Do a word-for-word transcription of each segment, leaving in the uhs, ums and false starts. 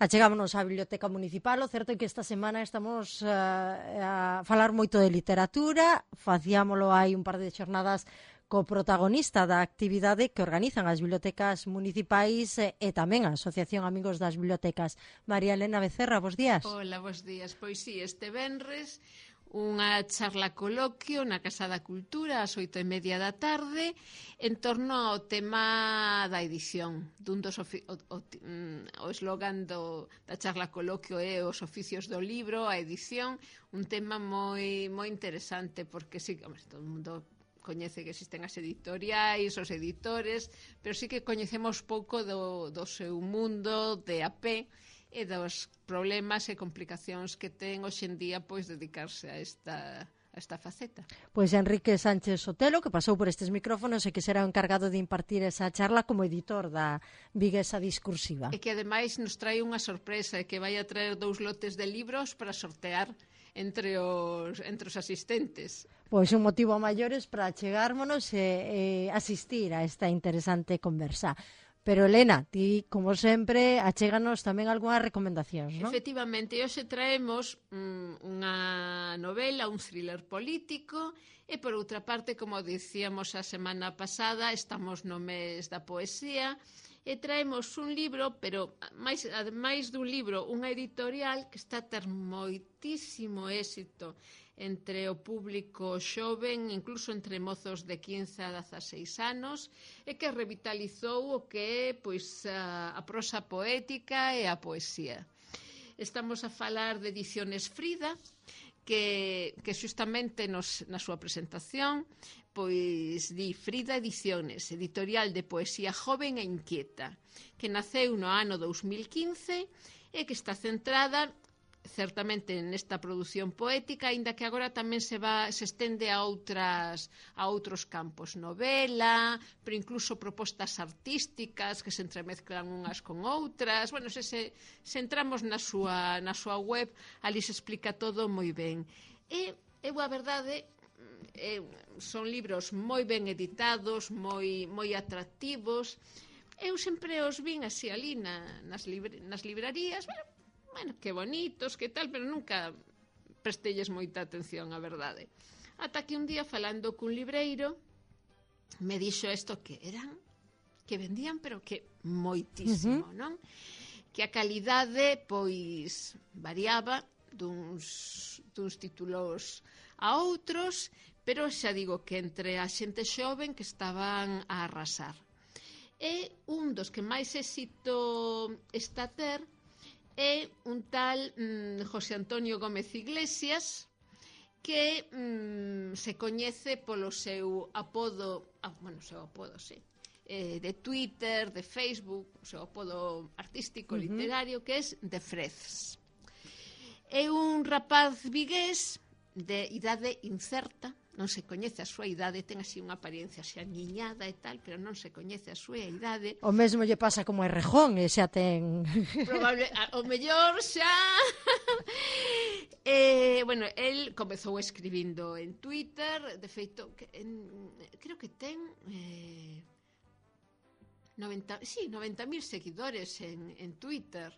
Achegámonos á Biblioteca Municipal. O certo é que esta semana estamos uh, a falar moito de literatura. Facíamolo hai un par de xornadas co protagonista da actividade que organizan as bibliotecas municipais e, e tamén a Asociación Amigos das Bibliotecas. María Elena Becerra, bos días. Hola, bos días. Pois sí, este venres unha charla coloquio na Casa da Cultura ás oito e media da tarde en torno ao tema da edición. Dun dos ofi- o, o, o eslogan do, da charla coloquio é os oficios do libro, a edición, un tema moi moi interesante porque sí, hombre, todo o mundo coñece que existen as editoriais, os editores, pero sí que coñecemos pouco do, do seu mundo de a pé e dos problemas e complicacións que ten hoxendía pois dedicarse a esta a esta faceta. Pois Enrique Sánchez Sotelo, que pasou por estes micrófonos e que será o encargado de impartir esa charla como editor da Viguesa Discursiva. E que ademais nos trae unha sorpresa, e que vai a traer dous lotes de libros para sortear entre os entre os asistentes. Pois un motivo a maiores para chegármonos e, e asistir a esta interesante conversa. Pero, Elena, ti, como sempre, achéganos tamén algunhas recomendacións, non? Efectivamente, hoxe traemos mm, unha novela, un thriller político, e, por outra parte, como dicíamos a semana pasada, estamos no mes da poesía, e traemos un libro, pero máis, ademais dun libro, unha editorial que está a ter moitísimo éxito entre o público xoven, incluso entre mozos de quince a dezaseis anos, e que revitalizou o que é pois, a, a prosa poética e a poesía. Estamos a falar de Ediciones Frida, que, que xustamente nos, na súa presentación pois di Frida Ediciones, editorial de poesía joven e inquieta, que naceu no ano dous mil quince e que está centrada certamente nesta produción poética, aínda que agora tamén se va se estende a outras a outros campos, novela, pero incluso propostas artísticas que se entremezclan unhas con outras. Bueno, se, se, se entramos na súa na súa web, ali se explica todo moi ben. E eu a verdade eh, son libros moi ben editados, moi moi atractivos. Eu sempre os vin así ali na, nas, libre, nas librarías, bueno, Bueno, que bonitos, que tal, pero nunca prestelles moita atención, a verdade. Ata que un día, falando cun libreiro, me dixo isto que eran, que vendían, pero que moitísimo, uh-huh. non? Que a calidade, pois, variaba duns, duns títulos a outros, pero xa digo que entre a xente xoven que estaban a arrasar. E un dos que máis éxito está a ter é un tal mm, José Antonio Gómez Iglesias, que mm, se coñece polo seu apodo, ah, bueno, seu apodo, sí, eh, de Twitter, de Facebook, o seu apodo artístico, uh-huh. literario, que é The Freds. É un rapaz vigués de idade incerta, non se coñece a súa idade, ten así unha apariencia xa niñada e tal, pero non se coñece a súa idade. O mesmo lle pasa como a Errejón, e xa ten... Probable, o mellor xa... eh, bueno, el comezou escribindo en Twitter, de feito, que, en, creo que ten... Eh, noventa, sí, noventa mil seguidores en, en Twitter.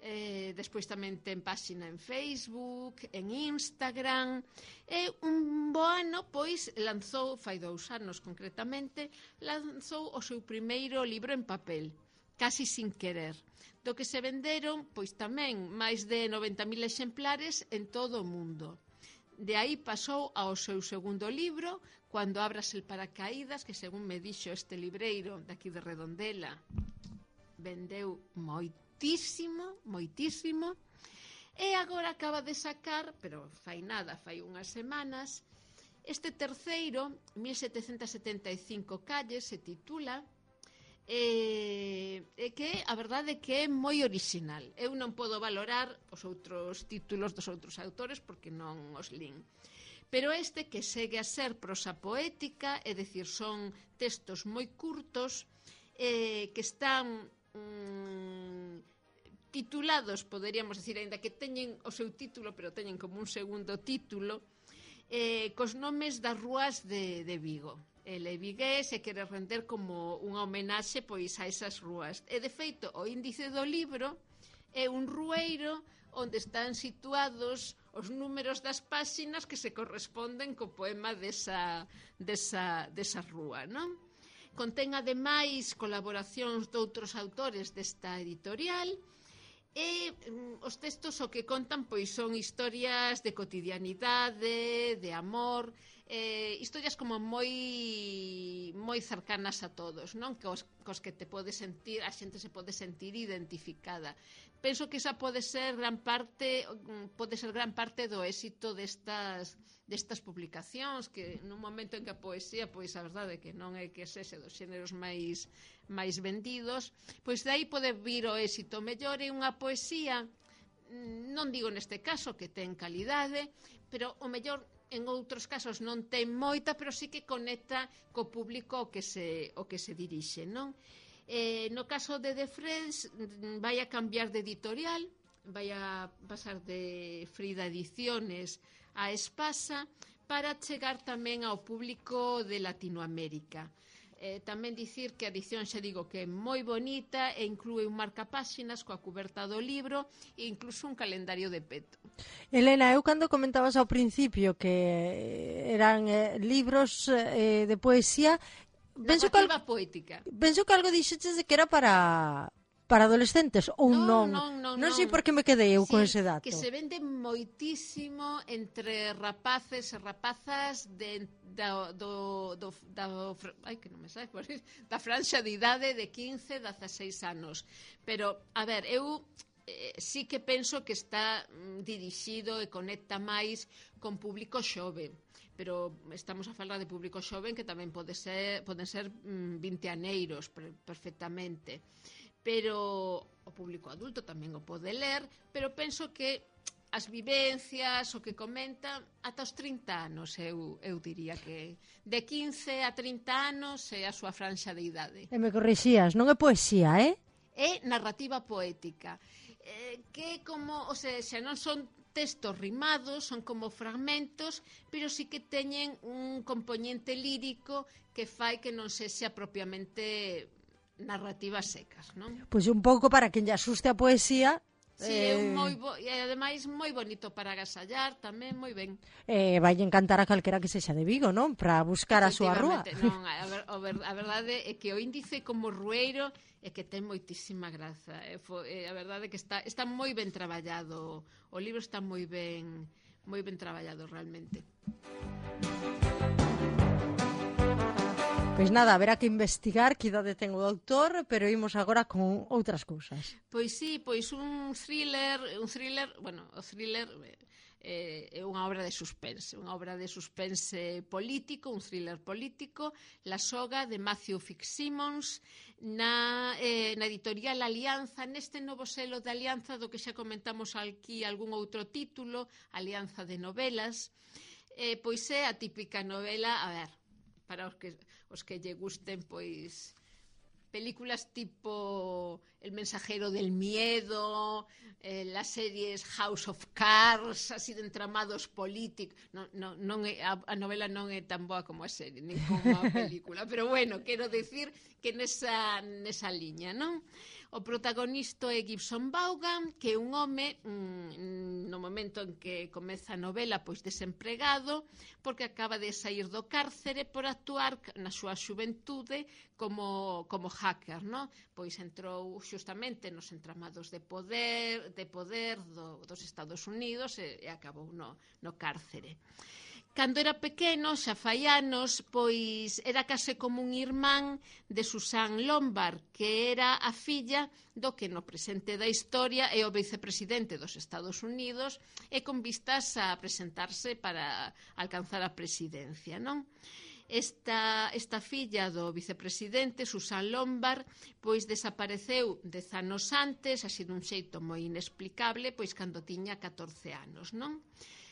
Eh, despois tamén ten páxina en Facebook, en Instagram, e un bo ano, pois, lanzou, fai dous anos concretamente, lanzou o seu primeiro libro en papel, Casi sin querer, do que se venderon, pois tamén, máis de noventa mil exemplares en todo o mundo. De aí pasou ao seu segundo libro, Cuando abras el paracaídas, que según me dixo este libreiro daqui de Redondela, vendeu moito moitísimo, moitísimo, e agora acaba de sacar, pero fai nada, fai unhas semanas, este terceiro, mil setecentas setenta e cinco calles, se titula, e, e que a verdade que é moi original. Eu non podo valorar os outros títulos dos outros autores porque non os lin. Pero este que segue a ser prosa poética, é dicir, son textos moi curtos, eh, que están... Mm, titulados, poderíamos decir, aínda que teñen o seu título, pero teñen como un segundo título, eh, cos nomes das rúas de, de Vigo. Ele é vigués e quere render como unha homenaxe pois a esas rúas. E, de feito, o índice do libro é un rueiro onde están situados os números das páxinas que se corresponden co poema desa, desa, desa rúa, non? Contén, ademais, colaboracións de outros autores desta editorial, e mm, os textos o que contan pois son historias de cotidianidade, de amor, eh, historias como moi moi cercanas a todos, non? Cos, cos que te pode sentir, a xente se pode sentir identificada. Penso que esa pode ser gran parte pode ser gran parte do éxito destas destas publicacións, que nun momento en que a poesía, pois a verdade é que non é que sexe dos xéneros máis máis vendidos, pois de aí pode vir o éxito. Mellor é unha poesía, non digo neste caso que ten calidade, pero o mellor en outros casos non ten moita, pero sí que conecta co público o que se, o que se dirixe, non? Eh, no caso de The Friends vai a cambiar de editorial, vai a pasar de Frida Ediciones a Espasa para chegar tamén ao público de Latinoamérica. Eh, tamén dicir que a edición, xa digo, que é moi bonita e inclúe un marcapáxinas coa cuberta do libro e incluso un calendario de peto. Elena, eu cando comentabas ao principio que eran eh, libros eh, de poesía, penso que, algo, poética. penso que algo dixeches de que era para para adolescentes ou non. Non, non, non, non sei por que me quedei eu sí, con ese dato. Que se vende moitísimo entre rapaces e rapazas de, da, do, do, da, ai, que non me sabe, da franxa de idade de quince a dezaseis anos. Pero, a ver, eu eh, sí que penso que está mm, dirixido e conecta máis con público xove. Pero estamos a falar de público xoven que tamén pode ser, poden ser mm, vinteaneiros perfectamente. Pero o público adulto tamén o pode ler, pero penso que as vivencias, o que comenta, ata os trinta anos, eu, eu diría que de quince a trinta anos é a súa franxa de idade. E me corrixías, non é poesía, eh? É narrativa poética, eh, que como, o sea, xa non son textos rimados, son como fragmentos, pero sí que teñen un componente lírico que fai que non sexa propiamente narrativas secas, non? Pois un pouco para quen lle asuste a poesía. Si, sí, eh... é moi bo... e ademais moi bonito para agasallar, tamén moi ben. Eh, vai encantar a calquera que sexa de Vigo, non? Para buscar a súa rúa. Non, a, ver, a, ver, a verdade é que o índice como rueiro é que ten moitísima graza. É, é, a verdade é que está, está moi ben traballado. O libro está moi ben moi ben traballado realmente. Pois nada, haberá que investigar que idade ten o autor, pero imos agora con outras cousas. Pois sí, pois un thriller, un thriller, bueno, o thriller eh, é unha obra de suspense, unha obra de suspense político, un thriller político, La soga de Matthew Fitzsimmons, na, eh, na editorial Alianza, neste novo selo de Alianza, do que xa comentamos aquí algún outro título, Alianza de novelas, eh, pois é a típica novela, a ver, para os que, os que lle gusten, pois, películas tipo El mensajero del miedo, eh, las series House of Cards, así de entramados políticos. Non, non, non é, a, a novela non é tan boa como a serie, nin como a película, pero bueno, quero decir que nesa, nesa liña, non? O protagonista é Gibson Vaughan, que é un home mmm, no momento en que comeza a novela pois desempregado, porque acaba de sair do cárcere por actuar na súa xuventude como, como hacker, non? Pois entrou xustamente nos entramados de poder, de poder do, dos Estados Unidos e, e acabou no, no cárcere. Cando era pequeno, xa fai anos, pois era case como un irmán de Susan Lombard, que era a filla do que no presente da historia é o vicepresidente dos Estados Unidos e con vistas a presentarse para alcanzar a presidencia, non? Esta, esta filla do vicepresidente, Susan Lombard, pois desapareceu dez anos antes, así dun xeito moi inexplicable, pois cando tiña catorce anos, non?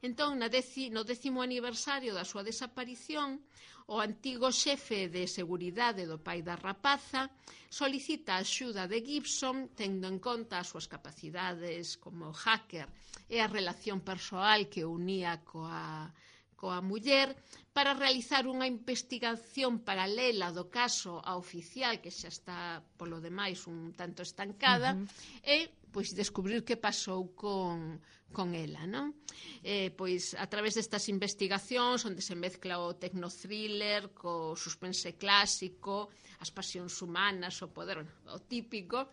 Entón, na deci, no décimo aniversario da súa desaparición, o antigo xefe de seguridade do pai da rapaza solicita a axuda de Gibson, tendo en conta as súas capacidades como hacker e a relación persoal que unía coa, coa muller, para realizar unha investigación paralela do caso a oficial, que xa está, polo demais, un tanto estancada, uh-huh. e pois descubrir que pasou con, con ela, non? Eh, pois a través destas investigacións onde se mezcla o tecnothriller co suspense clásico, as pasións humanas, o poder, o típico,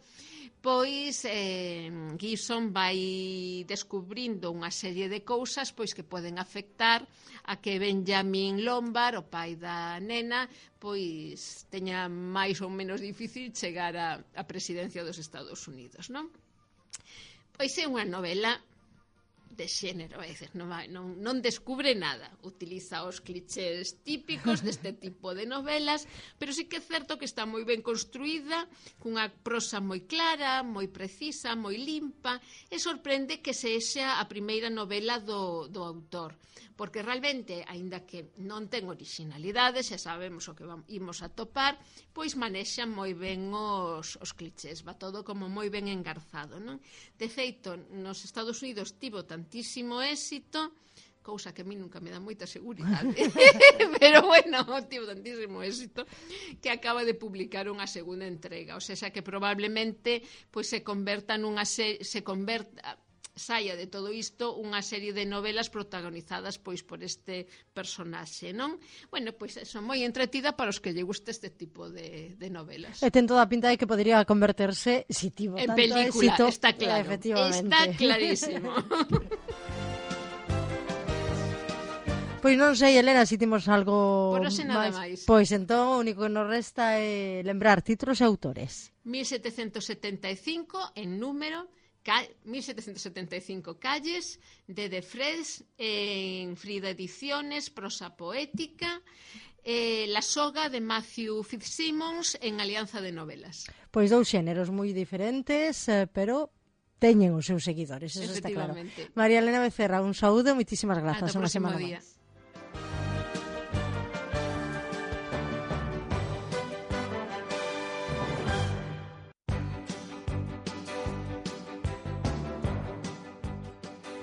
pois eh, Gibson vai descubrindo unha serie de cousas pois que poden afectar a que Benjamin Lombard, o pai da nena, pois teña máis ou menos difícil chegar a, a presidencia dos Estados Unidos, non? Pois é unha novela de xénero, é dicir, non, non, non descubre nada, utiliza os clichés típicos deste tipo de novelas, pero sí que é certo que está moi ben construída, cunha prosa moi clara, moi precisa, moi limpa, e sorprende que sexa a primeira novela do, do autor, porque realmente, aínda que non ten originalidade, xa sabemos o que vamos, imos a topar, pois manexa moi ben os, os clichés, va todo como moi ben engarzado, non? De feito, nos Estados Unidos tivo tantísimo éxito, cousa que a mí nunca me dá moita seguridade, pero bueno, tivo tantísimo éxito, que acaba de publicar unha segunda entrega, o sea, xa que probablemente pois se converta nunha se, se converta saia de todo isto unha serie de novelas protagonizadas pois por este personaxe, non? Bueno, pois eso, moi entretida para os que lle guste este tipo de, de novelas. E ten toda a pinta de que podría converterse, si tivo en tanto película, éxito, está claro, está clarísimo. Pois non sei, Elena, se si temos algo Por hoxe nada máis. máis. Pois entón, o único que nos resta é lembrar títulos e autores. mil setecentos setenta e cinco en número, mil setecentos setenta e cinco calles, de De Fres, en Frida Ediciones, prosa poética, eh, La soga de Matthew Fitzsimmons en Alianza de Novelas. Pois dous xéneros moi diferentes, eh, pero teñen os seus seguidores, eso está claro. María Elena Becerra, un saúdo, moitísimas grazas. Ata o próximo día.